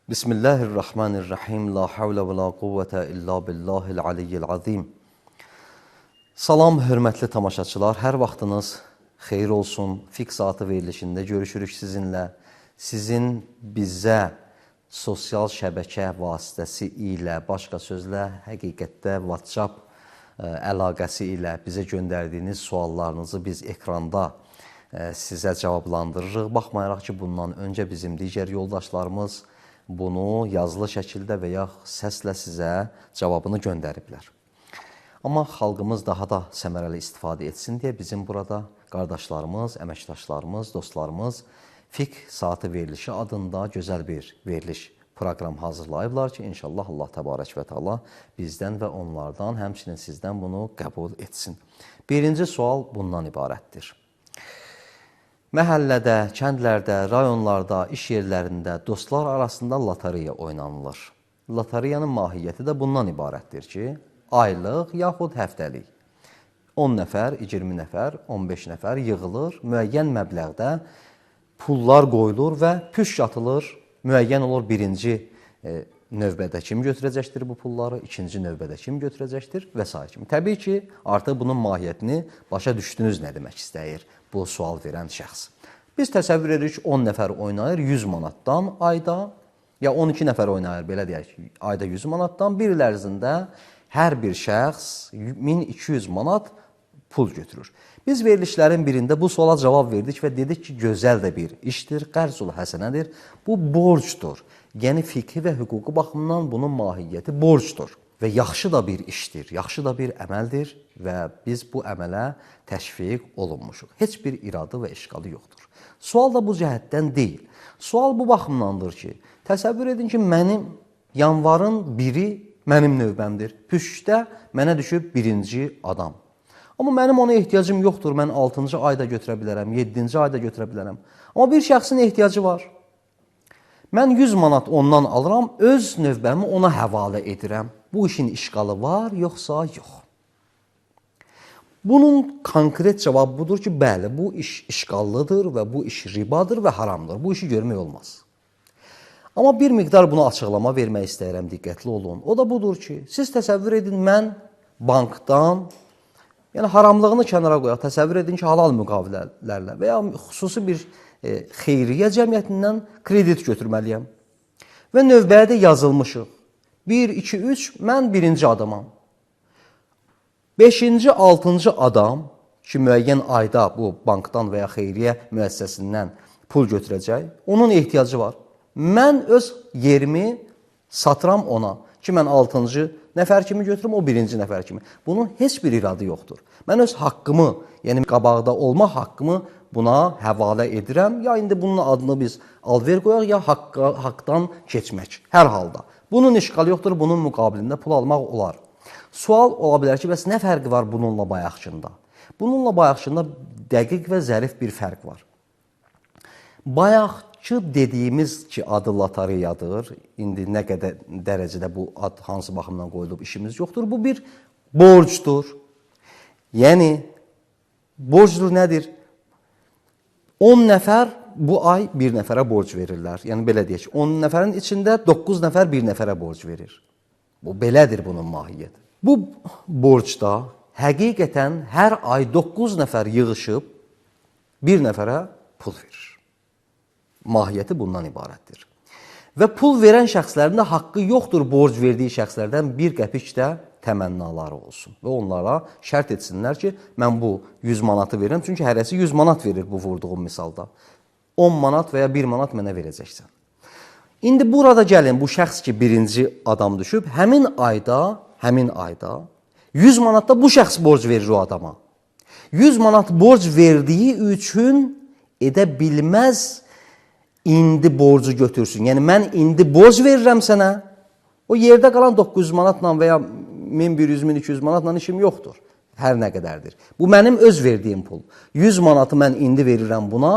Bismillahirrahmanirrahim. La havlə və la quvvətə illa billahil aliyyil azim. Salam, hörmətli tamaşaçılar. Hər vaxtınız xeyir olsun. Fiqh Saatı verilişində görüşürük sizinlə. Sizin bizə sosial şəbəkə vasitəsi ilə, başqa sözlə, həqiqətdə WhatsApp əlaqəsi ilə bizə göndərdiyiniz suallarınızı biz ekranda sizə cavablandırırıq. Baxmayaraq ki, bundan öncə bizim digər yoldaşlarımız bunu yazılı şəkildə və ya səslə sizə cavabını göndəriblər. Amma xalqımız daha da səmərəli istifadə etsin deyə bizim burada qardaşlarımız, əməkdaşlarımız, dostlarımız Fiqh Saatı verilişi adında gözəl bir veriliş proqram hazırlayıblar ki, inşallah Allah təbarək və təala bizdən və onlardan, həmçinin sizdən bunu qəbul etsin. Birinci sual bundan ibarətdir. Məhəllədə, kəndlərdə, rayonlarda, iş yerlərində dostlar arasında lotereya oynanılır. Lotereyanın mahiyyəti də bundan ibarətdir ki, aylıq yaxud həftəlik 10 nəfər, 20 nəfər, 15 nəfər yığılır, müəyyən məbləğdə pullar qoyulur və püşk atılır, müəyyən olur birinci növbədə kim götürəcəkdir bu pulları, ikinci növbədə kim götürəcəkdir və s. kimi. Təbii ki, artıq bunun mahiyyətini başa düşdünüz nə demək istəyir bu sual verən şəxs. Biz təsəvvür edirik ki, 10 nəfər oynayır 100 manatdan ayda, ya 12 nəfər oynayır, belə deyək ki, ayda 100 manatdan, bir il ərzində hər bir şəxs 1200 manat pul götürür. Biz verilişlərin birində bu suala cavab verdik və dedik ki, gözəl də bir işdir, qərzul həsənədir, bu borcdur. Yəni, fiqhi və hüquqi baxımdan bunun mahiyyəti borcdur. Və yaxşı da bir işdir, yaxşı da bir əməldir və biz bu əmələ təşviq olunmuşuq. Heç bir iradı və işqalı yoxdur. Sual da bu cəhətdən deyil. Sual bu baxımdandır ki, təsəvvür edin ki, mənim yanvarın 1-i mənim növbəmdir. Püşkdə mənə düşüb birinci adam. Amma mənim ona ehtiyacım yoxdur. Mən 6-cı ayda götürə bilərəm, 7-ci ayda götürə bilərəm. Amma bir şəxsin ehtiyacı var. Mən 100 manat ondan alıram, öz növbəmi ona həvalə edirəm. Bu işin işqalı var, yoxsa yox. Bunun konkret cavabı budur ki, bəli, bu iş işqallıdır və bu iş ribadır və haramdır. Bu işi görmək olmaz. Amma bir miqdar buna açıqlama vermək istəyirəm, diqqətli olun. O da budur ki, siz təsəvvür edin, mən bankdan, yəni haramlığını kənara qoyaq, təsəvvür edin ki, halal müqavilələrlə və ya xüsusi bir xeyriyyə cəmiyyətindən kredit götürməliyəm. Və növbəyə də yazılmışıq. 1, 2, 3, mən birinci adamam. 5-ci, 6-cı adam ki, müəyyən ayda bu bankdan və ya xeyriyyə müəssisəsindən pul götürəcək, onun ehtiyacı var. Mən öz yerimi satıram ona ki, mən 6-cı nəfər kimi götürüm, o 1-ci nəfər kimi. Bunun heç bir iradı yoxdur. Mən öz haqqımı, yəni qabaqda olma haqqımı buna həvalə edirəm, ya indi bunun adını biz alver qoyaq, ya haqdan keçmək. Hər halda. Bunun işqalı yoxdur, bunun müqabilində pul almaq olar. Sual ola bilər ki, bəs nə fərqi var bununla bayaqçında? Bununla bayaqçında dəqiq və zərif bir fərq var. Bayaqçı dediyimiz ki, adı lotereyadır. İndi nə qədər dərəcədə bu ad hansı baxımdan qoyulub işimiz yoxdur. Bu bir borcdur. Yəni, borcdur nədir? 10 nəfər bu ay bir nəfərə borc verirlər. Yəni, belə deyək, 10 nəfərin içində 9 nəfər bir nəfərə borc verir. Bu, belədir bunun mahiyyəti. Bu borcda həqiqətən hər ay 9 nəfər yığışıb bir nəfərə pul verir. Mahiyyəti bundan ibarətdir. Və pul verən şəxslərin də haqqı yoxdur borc verdiyi şəxslərdən bir qəpik də təmənnaları olsun. Və onlara şərt etsinlər ki, mən bu 100 manatı verirəm. Çünki hərəsi 100 manat verir bu vurduğum misalda. 10 manat və ya 1 manat mənə verəcəksən. İndi burada gəlin, bu şəxs ki, birinci adam düşüb, həmin ayda 100 manatda bu şəxs borc verir o adama. 100 manat borc verdiyi üçün edə bilməz indi borcu götürsün. Yəni, mən indi borc verirəm sənə, o yerdə qalan 900 manatla və ya 1100, 1200 manatla işim yoxdur. Hər nə qədərdir. Bu mənim öz verdiyim pul. 100 manatı mən indi verirəm buna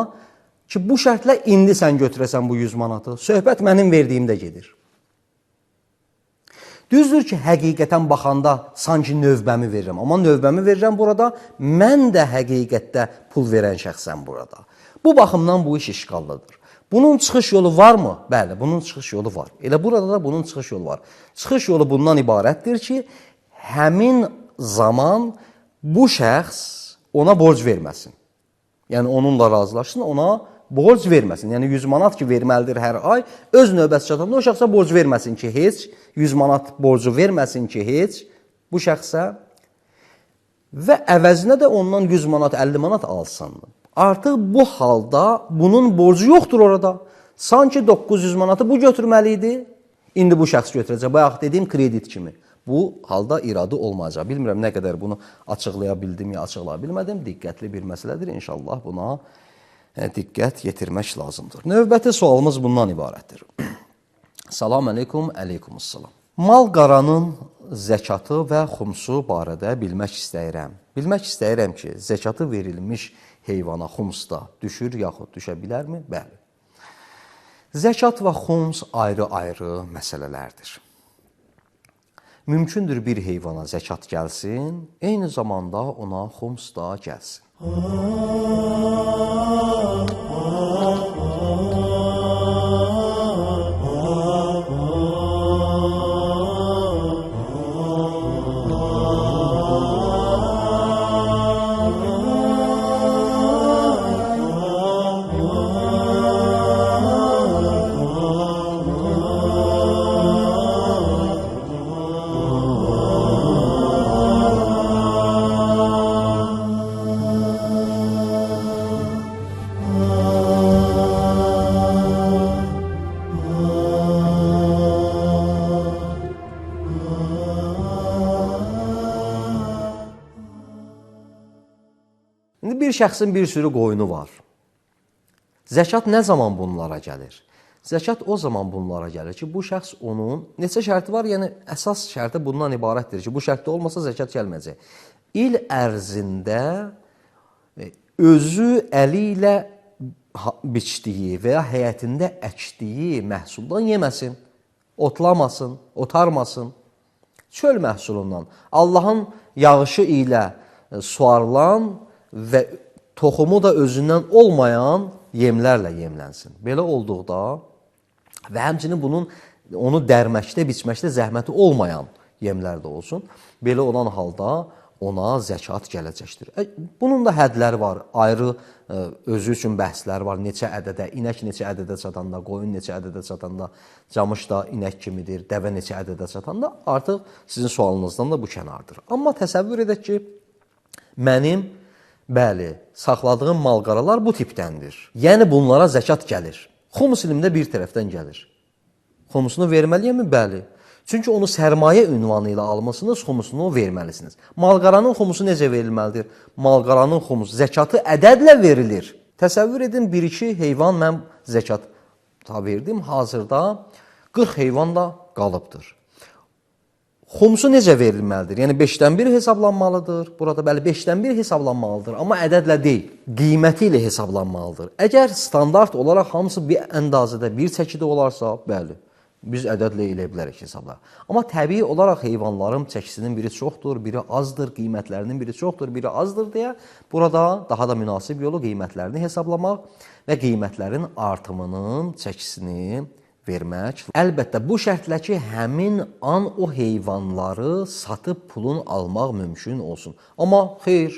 ki, bu şərtlə indi sən götürəsən bu 100 manatı. Söhbət mənim verdiyimdə gedir. Düzdür ki, həqiqətən baxanda sanki növbəmi verirəm. Amma növbəmi verirəm burada, mən də həqiqətdə pul verən şəxsəm burada. Bu baxımdan bu iş işqallıdır. Bunun çıxış yolu varmı? Bəli, bunun çıxış yolu var. Elə burada da bunun çıxış yolu var. Çıxış yolu bundan ibarətdir ki, həmin zaman bu şəxs ona borc verməsin. Yəni, onunla razılaşsın, ona borc verməsin. Yəni, 100 manat ki, verməlidir hər ay, öz növbəsi çatanda o şəxsə borc verməsin ki, heç, 100 manat borcu verməsin ki, heç bu şəxsə və əvəzinə də ondan 100 manat, 50 manat alsın. Artıq bu halda bunun borcu yoxdur orada. Sanki 900 manatı bu götürməli idi, indi bu şəxs götürəcək. Bayaq dediyim kredit kimi. Bu halda iradı olmayacaq. Bilmirəm nə qədər bunu açıqlaya bildim ya açıqlaya bilmədim. Diqqətli bir məsələdir. İnşallah buna diqqət yetirmək lazımdır. Növbəti sualımız bundan ibarətdir. Salam aleykum, aleykumussalam. Mal-qaranın zəkatı və xumsu barədə bilmək istəyirəm. Bilmək istəyirəm ki, zəkatı verilmiş heyvana xumsda düşür yaxud düşə bilərmi? Bəli. Zəkat və xums ayrı-ayrı məsələlərdir. Mümkündür bir heyvana zəkat gəlsin, eyni zamanda ona xums da gəlsin. Bir şəxsin bir sürü qoyunu var. Zəkat nə zaman bunlara gəlir? Zəkat o zaman bunlara gəlir ki, bu şəxs onun neçə şərti var? Yəni, əsas şərti bundan ibarətdir ki, bu şərtdə olmasa zəkat gəlməyəcək. İl ərzində özü əli ilə biçdiyi və ya həyətində əkdiyi məhsuldan yeməsin, otlamasın, otarmasın. Çöl məhsulundan, Allahın yağışı ilə suarılan və toxumu da özündən olmayan yemlərlə yemlənsin. Belə olduqda və həmçinin onu dərməkdə, biçməkdə zəhməti olmayan yemlər də olsun. Belə olan halda ona zəkat gələcəkdir. Bunun da hədləri var, ayrı özü üçün bəhsləri var. Neçə ədədə, inək neçə ədədə çatanda, qoyun neçə ədədə çatanda, camış da inək kimidir, dəvə neçə ədədə çatanda artıq sizin sualınızdan da bu kənardır. Amma təsəvvür edək ki, mənim bəli, saxladığım mal-qaralar bu tipdəndir. Yəni, bunlara zəkat gəlir. Xumus ilimdə bir tərəfdən gəlir. Xumusunu verməliyəmi? Bəli. Çünki onu sərmayə ünvanı ilə almışsınız, xumusunu verməlisiniz. Mal-qaranın xumusu necə verilməlidir? Mal-qaranın xumusu zəkatı ədədlə verilir. Təsəvvür edin, 1-2 heyvan mən zəkat verdim. Hazırda 40 heyvan da qalıbdır. Xumsu necə verilməlidir? Yəni, 5-dən 1 hesablanmalıdır. Burada bəli, 5-dən 1 hesablanmalıdır. Amma ədədlə deyil, qiyməti ilə hesablanmalıdır. Əgər standart olaraq hamısı bir əndazədə, bir çəkidə olarsa, bəli, biz ədədlə elə bilərik hesablar. Amma təbii olaraq heyvanların çəkisinin biri çoxdur, biri azdır, qiymətlərinin biri çoxdur, biri azdır deyə burada daha da münasib yolu qiymətlərini hesablamaq və qiymətlərin artımının çəkisini vermək. Əlbəttə, bu şərtlə ki, həmin an o heyvanları satıb pulun almaq mümkün olsun. Amma xeyr,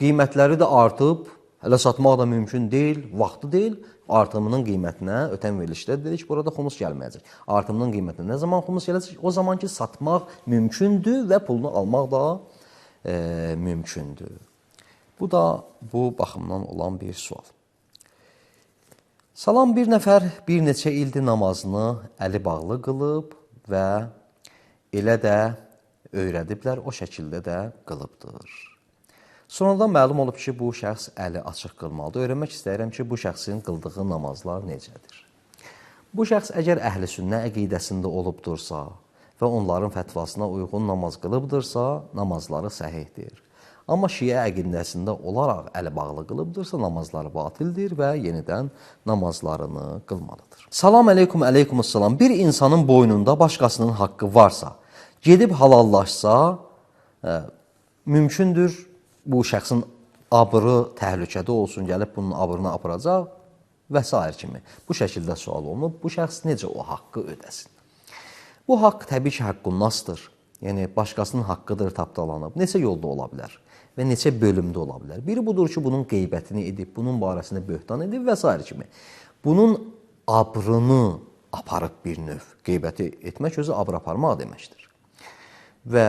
qiymətləri də artıb, hələ satmaq da mümkün deyil, vaxtı deyil. Artımının qiymətinə ötən verilişdə dedik, burada xumus gəlməyəcək. Artımının qiymətinə nə zaman xumus gələcək? O zaman ki, satmaq mümkündür və pulunu almaq da mümkündür. Bu da bu baxımdan olan bir sual. Salam, bir nəfər bir neçə ildir namazını əli bağlı qılıb və elə də öyrədiblər, o şəkildə də qılıbdır. Sonradan məlum olub ki, bu şəxs əli açıq qılmalıdır. Öyrənmək istəyirəm ki, bu şəxsin qıldığı namazlar necədir? Bu şəxs əgər əhl-i sünnə əqidəsində olubdursa və onların fətvasına uyğun namaz qılıbdırsa, namazları səhihdir. Amma şiə əqidəsində olaraq əli bağlı qılıbdırsa, namazları batildir və yenidən namazlarını qılmalıdır. Salam əleykum, əleykumussalam. Bir insanın boynunda başqasının haqqı varsa, gedib halallaşsa, mümkündür bu şəxsin abrı təhlükədə olsun, gəlib bunun abrını aparacaq və s. kimi. Bu şəkildə sual olunub, bu şəxs necə o haqqı ödəsin? Bu haqq təbii ki, haqqunasdır. Yəni, başqasının haqqıdır tapdalanıb. Neçə yolda ola bilər və neçə bölümdə ola bilər. Biri budur ki, bunun qeybətini edib, bunun barəsində böhtan edib və s. kimi. Bunun abrını aparıb bir növ. Qeybəti etmək özü abr aparmaq deməkdir. Və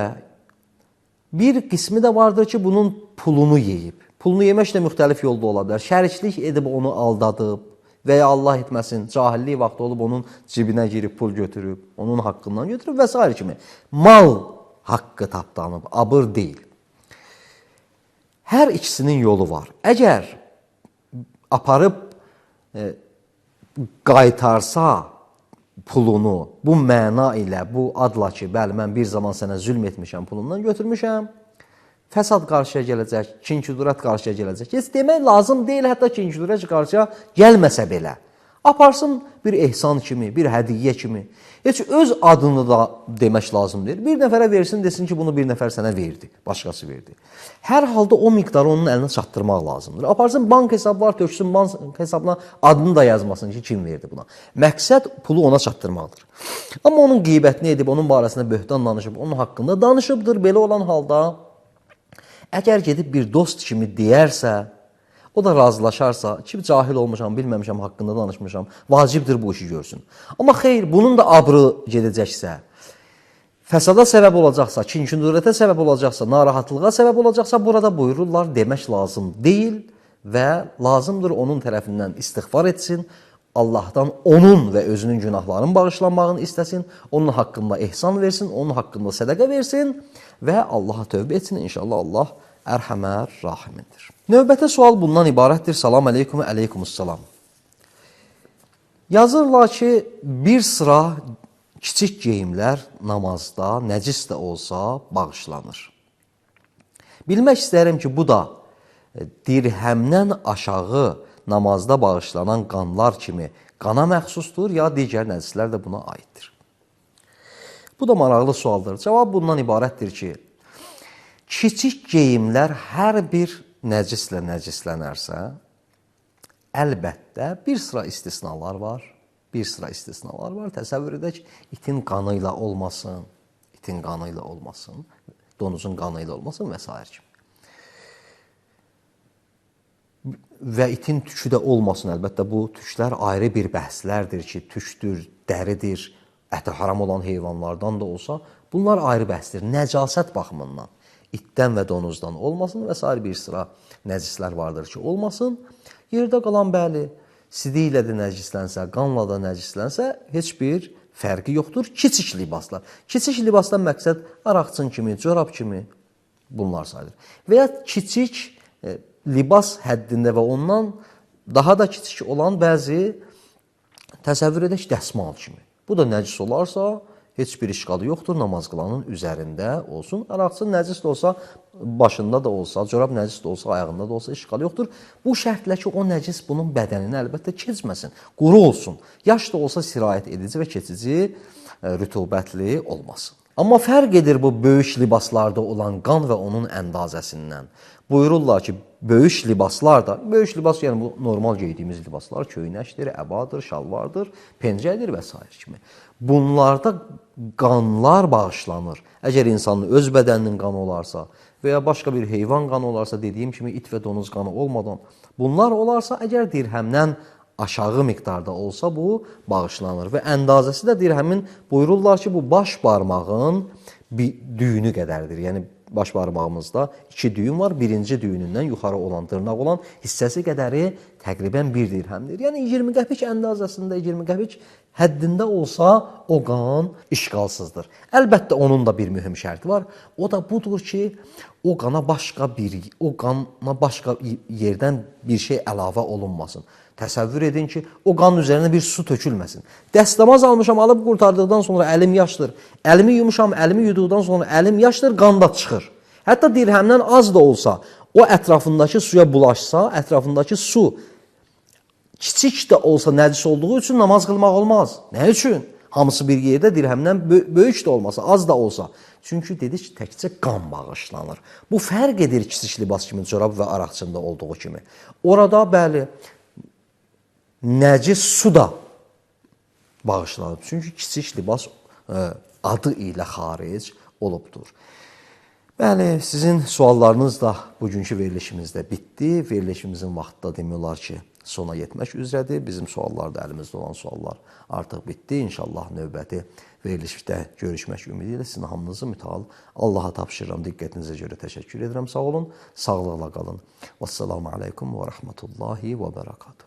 bir qismi də vardır ki, bunun pulunu yeyib. Pulunu yemək də müxtəlif yolda ola bilər. Şəriklik edib onu aldadıb və ya Allah etməsin, cahillik vaxtı olub onun cibinə girib pul götürüb, onun haqqından götürüb və s. kimi. Mal haqqı tapdanıb, abır deyil. Hər ikisinin yolu var. Əgər aparıb qaytarsa pulunu bu məna ilə, bu adla ki, bəli, mən bir zaman sənə zülm etmişəm, pulundan götürmüşəm, fəsad qarşıya gələcək, kin-küdurət qarşıya gələcək. Heç demək lazım deyil, hətta kin-küdurət qarşıya gəlməsə belə. Aparsın bir ehsan kimi, bir hədiyyə kimi. Heç öz adını da demək lazım deyil. Bir nəfərə versin, desin ki, bunu bir nəfər sənə verdi, başqası verdi. Hər halda o miqdarı onun əlinə çatdırmaq lazımdır. Aparsın bank hesabı var, töksün bank hesabına adını da yazmasın ki, kim verdi buna. Məqsəd pulu ona çatdırmaqdır. Amma onun qeybətini edib, onun barəsində böhtan danışıb, onun haqqında danışıbdır. Belə olan halda əgər gedib bir dost kimi deyərsə, o da razılaşarsa, ki, cahil olmuşam, bilməmişəm, haqqında danışmışam, vacibdir bu işi görsün. Amma xeyr, bunun da abrı gedəcəksə, fəsada səbəb olacaqsa, kin-küdurətə səbəb olacaqsa, narahatlığa səbəb olacaqsa, burada buyururlar, demək lazım deyil və lazımdır onun tərəfindən istiğfar etsin, Allahdan onun və özünün günahlarının bağışlanmağını istəsin, onun haqqında ehsan versin, onun haqqında sədəqə versin və Allaha tövbə etsin. İnşallah Allah ərhəmər rahimindir. Növbəti sual bundan ibarətdir. Salam əleykum, əleykumussalam. Yazırlar ki, bir sıra kiçik geyimlər namazda, nəcis də olsa bağışlanır. Bilmək istəyirəm ki, bu da dirhəmdən aşağı namazda bağışlanan qanlar kimi qana məxsusdur, ya digər nəcislər də buna aiddir. Bu da maraqlı sualdır. Cavab bundan ibarətdir ki, kiçik geyimlər hər bir nəcislə nəcislənərsə, əlbəttə bir sıra istisnalar var. Bir sıra istisnalar var. Təsəvvür edək, itin qanı ilə olmasın, itin qanı ilə olmasın, donuzun qanı ilə olmasın və s. kimi. Və itin tükü də olmasın. Əlbəttə, bu tüklər ayrı bir bəhslərdir ki, tükdür, dəridir, əti haram olan heyvanlardan da olsa, bunlar ayrı bəhsdir. Nəcasət baxımından itdən və donuzdan olmasın və s. bir sıra nəcislər vardır ki, olmasın. Yerdə qalan bəli, sidi ilə də nəcislənsə, qanla da nəcislənsə, heç bir fərqi yoxdur. Kiçik libaslar. Kiçik libasdan məqsəd araqçın kimi, corab kimi bunlar sayılır. Və ya kiçik libas həddində və ondan daha da kiçik olan bəzi təsəvvür edək dəsmal kimi. Bu da nəcis olarsa, heç bir işqalı yoxdur, namaz qılanın üzərində olsun. Araqçı nəcis də olsa, başında da olsa, corab nəcis də olsa, ayağında da olsa işqalı yoxdur. Bu şərtlə ki, o nəcis bunun bədənini əlbəttə keçməsin, quru olsun. Yaş da olsa sirayət edici və keçici, rütubətli olmasın. Amma fərq edir bu böyük libaslarda olan qan və onun əndazəsindən. Buyururlar ki, böyük libaslar da, böyük libas yəni bu normal geydiyimiz libaslar, köynəkdir, əbadır, şalvardır, pencədir və s. kimi. Bunlarda qanlar bağışlanır. Əgər insanın öz bədəninin qanı olarsa və ya başqa bir heyvan qanı olarsa, dediyim kimi it və donuz qanı olmadan, bunlar olarsa, əgər dirhəmdən aşağı miqdarda olsa, bu bağışlanır. Və əndazəsi də dirhəmin buyururlar ki, bu baş barmağın düyünü qədərdir. Yəni, baş barmağımızda 2 düyün var. Birinci düyünündən yuxarı olan dırnaq olan hissəsi qədəri təqribən 1 dirhəmdir. Yəni 20 qəpik əndazəsində, 20 qəpik həddində olsa o qan işğalsızdır. Əlbəttə onun da bir mühüm şərti var. O da budur ki, o qana başqa yerdən bir şey əlavə olunmasın. Təsəvvür edin ki, o qanın üzərinə bir su tökülməsin. Dəstəmaz almışam, alıb qurtardıqdan sonra əlim yaşdır. Əlimi yumuşam, əlimi yuduqdan sonra əlim yaşdır, qan da çıxır. Hətta dirhəmdən az da olsa, o ətrafındakı suya bulaşsa, ətrafındakı su kiçik də olsa nəcis olduğu üçün namaz qılmaq olmaz. Nə üçün? Hamısı bir yerdə dirhəmdən böyük də olmasa, az da olsa. Çünki dedik təkcə qan bağışlanır. Bu fərq edir kiçik libas kimi corab və araqçında olduğu kimi. Orada bəli, nəcis su da bağışlanır. Çünki kiçik libas adı ilə xaric olubdur. Bəli, sizin suallarınız da bugünkü verilişimizdə bitdi. Verilişimizin vaxtı da demək olar ki, sona yetmək üzrədir. Bizim suallar da əlimizdə olan suallar artıq bitdi. İnşallah növbəti verilişdə görüşmək ümidi ilə sizin hamınızı mütəal Allaha tapşırıram. Diqqətinizə görə təşəkkür edirəm. Sağ olun, sağlıqla qalın. Vəssalamu aleykum və rəhmətullahi və bərəkatuhu.